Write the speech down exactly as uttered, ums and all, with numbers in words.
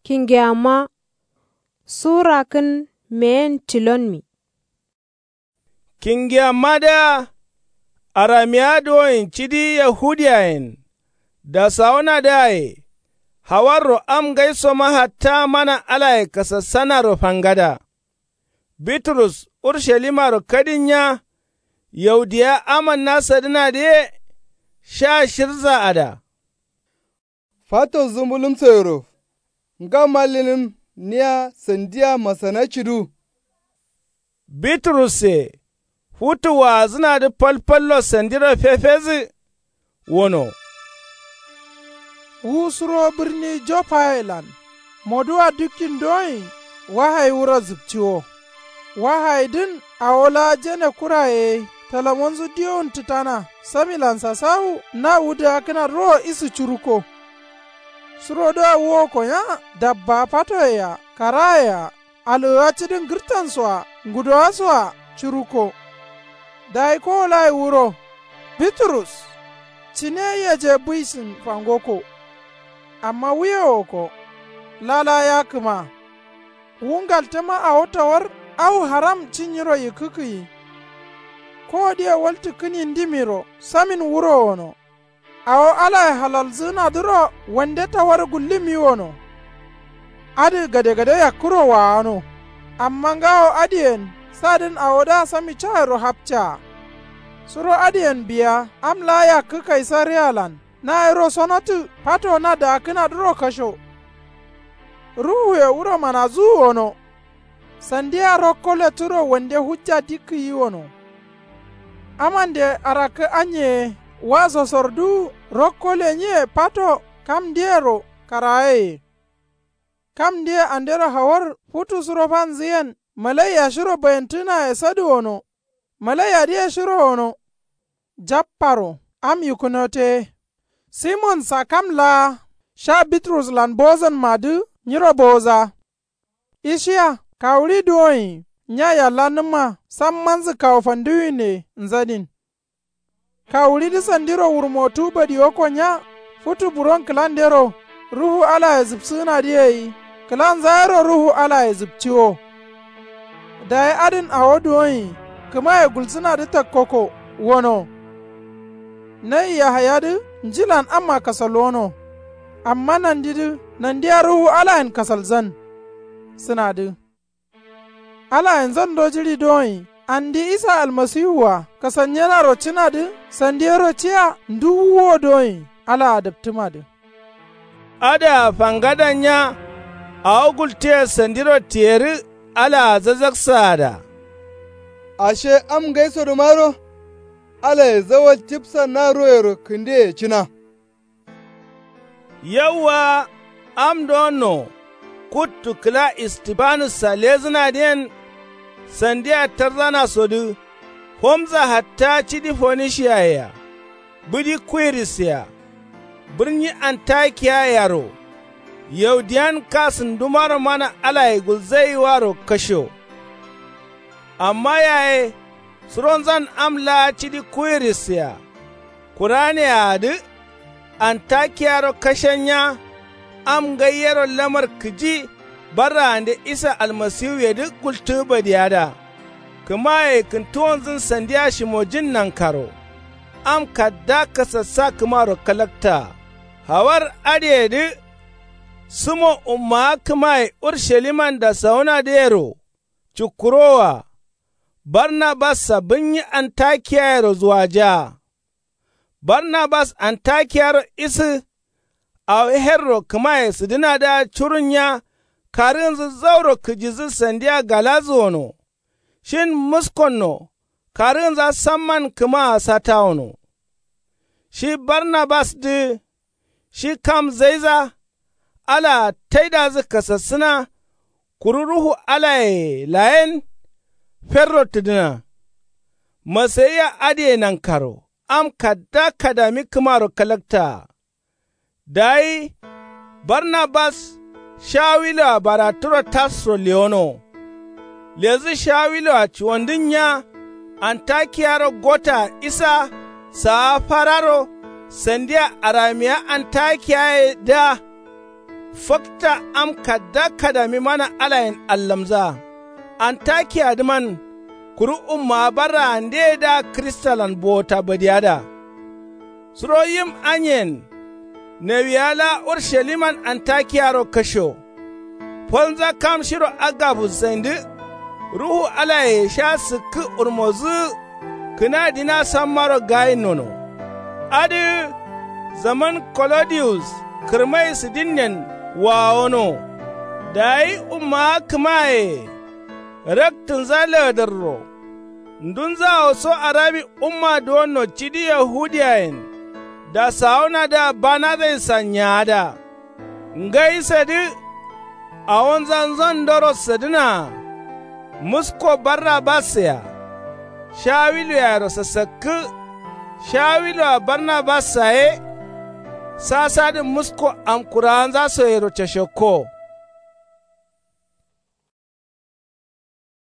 Kingeyamma. Su rakkǝn meyen tilonmi. Kingeyamma dǝa aramiya duwoin cidi yahudiyayen dasawunadǝaye. Hawarro am ngaisoma hatta mana alaye kasassanaro fangada. Bitrus urshalimaro kadin nya. Yaudiya amanna sadǝnadǝ ye. Sha shirzaada. Fato zumbulumsoyero nga mallinǝm niya sandiya masana cidu. Bitrusse futu waazǝnadǝ falfallo sandiro fefezǝ. Wono wu suro bǝrni joppayelan moduwa dukkin doin. Wahayi wuro zǝpciwo. Wahayidǝn awo laa jene kuraye ye talamonzu diyowun tǝtana samilan sasawu na wudǝ akkǝnadǝro isǝ curuko. Surodǝa wuwoko nya dabba fatoye-a karaye-a algǝwa cidin gǝrtanso-a ngudowaso-a curuko. Dayi kowolayi wuro bitrus cine yaje buisin fangoko. Amma wuye woko lala yakǝma. Wu ngaltǝma awo tawar au haram cinnyiro yikkǝkǝyi. Kowodǝye waltǝkkǝni ndimiro samin wuro wono. Awo alaye halalzǝgǝnadǝro wande tawar gullǝmmi wono. Adǝ gadegade yakkuro waano. Amma ngawo adǝyen sadǝn awodǝa sami cayero hapcaa. Suro adǝyen biya am laa yakkǝ kaisariyalan nayero sonotǝ fato na daakkǝnadǝro kasho. Ruhuye wuro manazuwu wono. Sandiya rokko letturo wande hujja dikkǝ yiwono. Amande arakkǝ anye ye wa sosorduwu rokko lenyiye fato kam ndeyero karayeye. Kam ndeye andero hawar futu suro fanzǝyen malaiya shiro bayantǝnaye sadǝ wono. Malaiyadǝye shiro wono. Japparo am yikkunote ye. Simonsa kam laa sha bitruslan bozanmadǝ nyiro boza. Ishiya kawuɍi duwonyi nya yallannǝmma sammanzǝ kawu fanduwine nzadin. Kawuɍidǝ sandiro wurmotu badiwakko nya futu buron kǝlandero ruhu alaye zǝpsǝgǝnadǝ yei. Kǝlanza yero ruhu alaye zǝpciwo. Dayi adǝn awo duwonyi kǝmaye gulsǝnadǝ takkoko wono. Nai yahayadǝ njilan amma kasalwono. Amma nandidǝ nandiya ruhu alayen kasalzan sǝnadǝ. Alaye nzando jiɍi doyin andi isa almasiwua kasalnyenaro cǝnadǝ sandi yero ciya nduwuwo doyin alaa daptǝmadǝ. Adǝa fangadan nya awo gultǝye sandiro tiyerǝ alaa zazaksǝada. Ashe am ngaisodǝmaro alaye zawal cipsa na royero kǝndeye cǝna. Yauwa am dono kuttu kǝla istifanussa lezǝnadǝyen. Sandiya tarzanasodǝ fomza hatta cidi fonishiyayea bǝdi kuwirissea bǝrnyi antakiyayero. Yaudiyan kasǝndumaro mana alaye gulzaiwaro kasho. Amma yaye suronzan am laa cidi kuwirissea kuraneaadǝ. Antakiyaro kashennya am ngaiyero lamar kǝji barraande isa almasiwuyedǝ gultǝ badiyada. Kǝmaye kǝntuwonzǝn sandiya shimojin nankaro am kadda kasassa kǝmaro kalakta. Hawar adǝyedǝ sǝmo ummawa kǝmaye urshaliman dasawunadǝyero cukkurowoa. Barnabassa bǝnnyi antakiyayero zuwajaa. Barnabas antakiyaro isǝ awo herro kǝmaye sǝdǝnadǝa curunnya karǝgǝnzǝ zauro kǝjizǝ sandiya galazǝ wono. Shin muskonno karǝgǝnza samman kǝmaa satawono. Shi barnabasdǝ shi kam zaiza alaa taidazǝ kasassǝna. Kuru ruhu alayeye layen ferro tǝdǝna. Masayiya adǝye nankaro am kadda kadami kǝmaro kalaktaa. Dayi barnabas shawiloa baraturo tarso lewono. Lezǝ shawiloa cuwandǝnnya antakiyaro gotaa isa saa fararo sandiya aramiya antakiyayedǝa. Fakta am kadda kadami mana alayen allamza. Antakiya dǝman kuru ummawa barraandeye dǝa kristalan bowota badiya da. Suro yim anyen nawiya laa urshaliman antakiyaro kasho. Folnza kam shiro agabus saindǝ ruhu alaye sha sǝkkǝ urmozǝ kǝna dina sammaro gayin nono. Adǝ zaman kolodiyus kǝrmai sǝdinnen wawono. Dayi ummawa kǝmaye raktǝnza laadarro. Ndunzawo so arabi umma duwonno cidi yahudiyayen dasawonadǝa banadai sanyaada. Ngai sadǝ awonza nzandoro sadǝnaa. Musko barnabas-a shawilu yaaro sasakkǝ. Shawilu-a barnabas-a ye sasadǝ musko amkurawanza so yero cashakko.